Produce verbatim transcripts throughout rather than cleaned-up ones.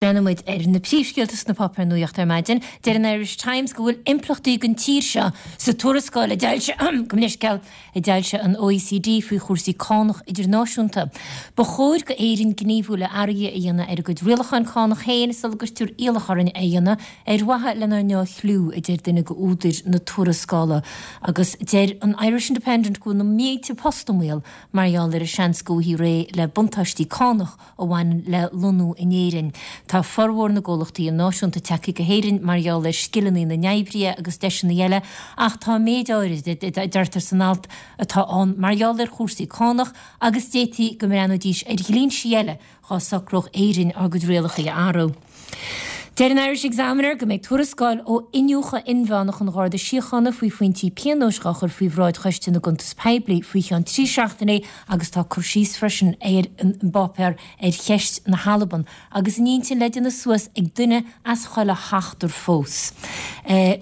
Breathnóidh muid ar na príomhscéalta sna páipéir nuachta ar maidin. Deir an Irish Times go bhfuil impleachtaí don tír seo sa tuarascáil a d'fhoilsigh go leisceal a d'fhoilsigh an OECD faoi chúrsaí cánach idirnáisiúnta. Ba chóir go Éirinn gníomhú le athruithe a dhéanamh ar a gcuid rialacháin cánach féin sula gcuirtear iallach orainn é a dhéanamh ar mhaithe lenár ndea-chlú, a deir duine d'údair na tuarascála. Agus deir an Irish Independent go bhfuil na mílte post i mbaol mar gheall ar an seans go bhfaighfí réidh le buntáistí cánach a bhaineann le lonnú in Éirinn. Tá formhór na gcomhlachtaí náisiúnta tagtha go hÉirinn mar gheall ar scileanna na n-oibrithe agus deiseanna eile ach tá méid áirid, a deirtear san alt, atá ann mar gheall ar chúrsaí cánach agus d'fhéadfaí go mbreathnóidís ar dhlínsí eile dhá socródh Éirinn ár gcuid rialacha a athrú. Deir an Irish Examiner go mbeidh tuarascáil ó iniúchadh inmheánach an Gharda Síochána faoi phointí pionóis á chur faoi bhráid Choiste na gCuntas Poiblí faoi cheann trí seachtainí agus tá cur síos freisin ar an bpáipéar ar cheist na hAlban agus an intinn le déanamh suas ag duine as chuile sheachtar fós.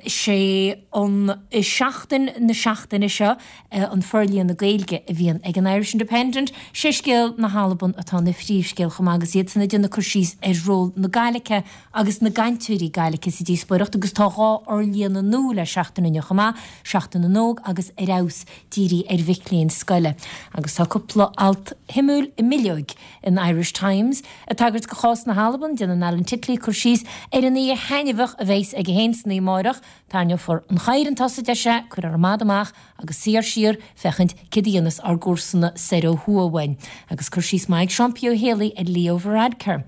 Sé an seachtain na seachtaine seo an forlíonadh Gaeilge a bhíonn ag an Irish Independent. Sé scéal na hAlban atá ina phríomhscéal chomh maith agus iad san ag déanamh cur síos ar ról na Gaeilge agus na gcainteoirí Gaeilge sa díospóireacht agus tá dhá fhorlíonadh nua le seachtain inniu chomh maith, Seachtain na nÓg agus Ar Fheabhas dírithe ar mhic léinn scoile. Agus tá cúpla alt shuimiúil i mbileoig in Irish Times. Ag tagairt do chás na hAlban, déanann Alan Titley cur síos ar an oíche thaitneamhach a bheas aige féin san oíche amárach, Tarraingeofar an chathaoir chun tosaigh, a deir sé, cuirfear an mada amach agus suífear siar féachaint céard a dhéanfas ár gcomharsana soir ó thuaidh uainn. Agus cur síos maith ag Seán P. Ó Héalaí ar Leo Varadkar.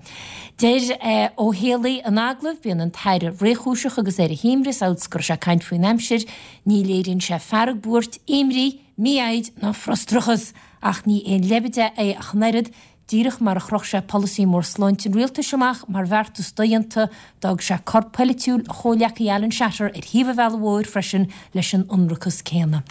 Deir Ó Héalaí in agallamh, Bíonn an tAire réchúiseach agus ar a shuaimhneas amhail is go raibh sé ag caint faoin aimsir. Ní léiríonn sé fearg, buairt, imní, mífhoighid ná frustrachas. Ach ní aon leibide é ach an oiread. Díreach mar a chroch sé polasaí mór sláinte an rialtais amach mar bheartas dodhéanta, d'fhág sé corp polaitiúil a chomhghleacaí Alan Shatter ar thaobh an bhealaigh mhóir freisin leis an ionracas céanna.